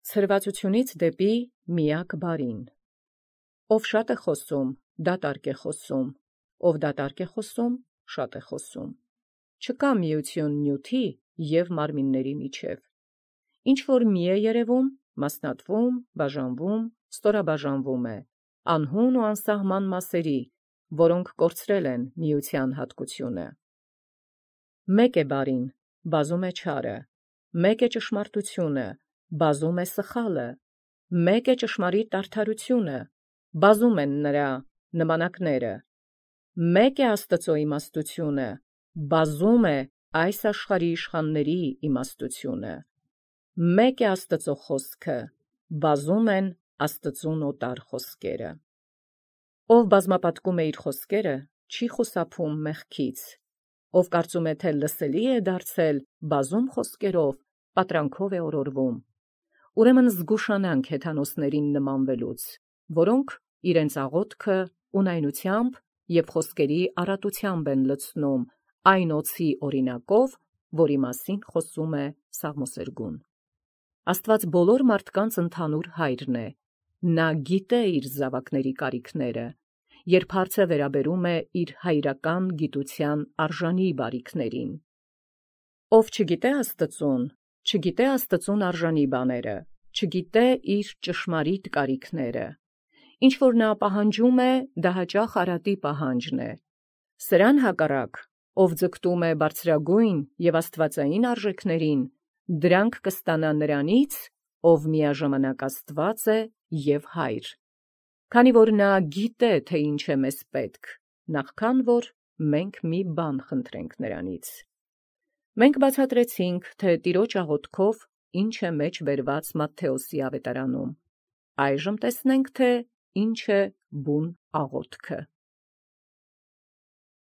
Ցրվածությունից դեպի միակ բարին։ Ով շատ է խոսում, դատարկ է խոսում, ով դատարկ է խոսում, շատ է խոսում։ Չկա միություն նյութի և մարմինների միջև։ Ինչ որ մի է երևում, մասնատվում, բաժանվում, ստորաբաժանվում է, անհուն ու անսահման մասերի, որոնք կորցրել են միության հատկությունը։ Մեկ է բարին, բազում է չարը, մեկ է ճշմարտությունը, բազում է սխալը, մեկ է ճշմարիտ արդարությունը, բազում են նրա նմանակները, մեկ է Աստծո իմաստությունը, բազում է այս աշխարհի իշխանների իմաստությունը, մեկ է Աստծո խոսքը, բազում են Աստծուն օտար խոսքերը։ Ով բազմապատկում է իր խոսքերը, չի խուսափում մեղքից, ով կարծում է, թե լսելի է դարձել բազում խոսքերով, պատրանքով է օրորվում։ Ուրեմն զգուշանանք հեթանոսներին նմանվելուց, որոնք իրենց աղոթքը ունայնությամբ և խոսքերի առատությամբ են լցնում այն օձի օրինակով, որի մասին խոսում է Սաղմոսերգուն։ Աստված բոլոր մարդկանց ընդհանուր հայրն է, նա գիտե իր զավակների կարիքները, երբ հարցը վերաբերում է իր հայրական գիտության արժանի բարիքներին։ Ով չգիտե Աստծուն, չգիտե Աստծուն արժանի բաները, չգիտե իր ճշմարիտ կարիքները։ Ինչ որ նա պահանջում է, դա հաճախ արատի պահանջն է։ Սրան հակառակ, ով ձգտում է բարձրագույն և աստվածային արժեքներին, դրանք կստանա նրանից, ով միաժամանակ Աստված է և Հայր։ Քանի որ նա գիտե, թե ինչ է մեզ պետք, նախքան որ մենք մի բան խնդրենք նրանից։ Մենք բացատրեցինք, թե Տիրոջ աղոթքով ինչ է մեջ բերված Մատթեոսի ավետարանում։ Այժմ տեսնենք, թե ինչ է բուն աղոթքը։